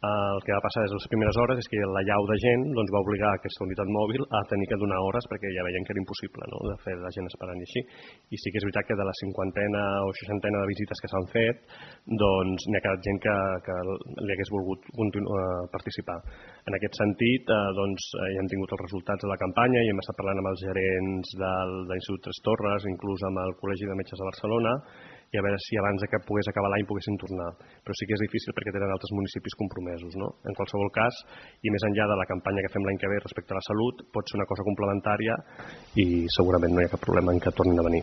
El que va passar des de les primeres hores és que l'allau de gent va obligar aquesta unitat mòbil a tenir que donar hores perquè ja veien que era impossible, no?, de fer la gent esperant i així. I sí que és veritat que de la 50ena o 60ena de visites que s'han fet, n'hi ha quedat gent que li hagués volgut participar. En aquest sentit, ja hem tingut els resultats de la campanya i hem estat parlant amb els gerents de l'Institut Tres Torres, inclús amb el Col·legi de Metges de Barcelona, i a veure si abans que pogués acabar l'any poguessin tornar. Però sí que és difícil perquè tenen altres municipis compromesos, no? En qualsevol cas, i més enllà de la campanya que fem l'any que ve respecte a la salut, pot ser una cosa complementària i segurament no hi ha cap problema en que tornin a venir.